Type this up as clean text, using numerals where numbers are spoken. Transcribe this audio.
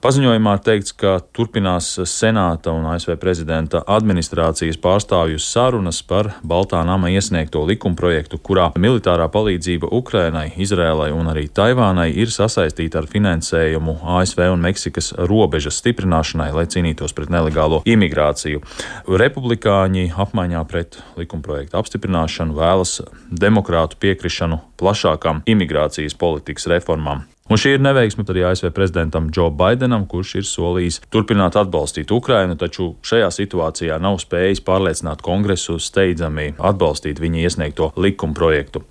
Paziņojumā teikts, ka turpinās Senāta un ASV prezidenta administrācijas pārstāvju sarunas par Baltā nama iesniegto likumprojektu, kurā militārā palīdzība Ukrainai, Izrēlai un arī Taivānai ir sasaistīta ar finansējumu ASV un Meksikas robežas stiprināšanai, lai cīnītos pret nelegālo imigrāciju. Republikāņi apmaiņā pret likumprojektu apstiprināšanu vēlas demokrātu piekrišanu plašākām imigrācijas politikas reformām. Un šī ir neveiksme arī ASV prezidentam Džo Baidenam, kurš ir solījis turpināt atbalstīt Ukrainu, taču šajā situācijā nav spējis pārliecināt Kongresu steidzami atbalstīt viņa iesniegto likumprojektu.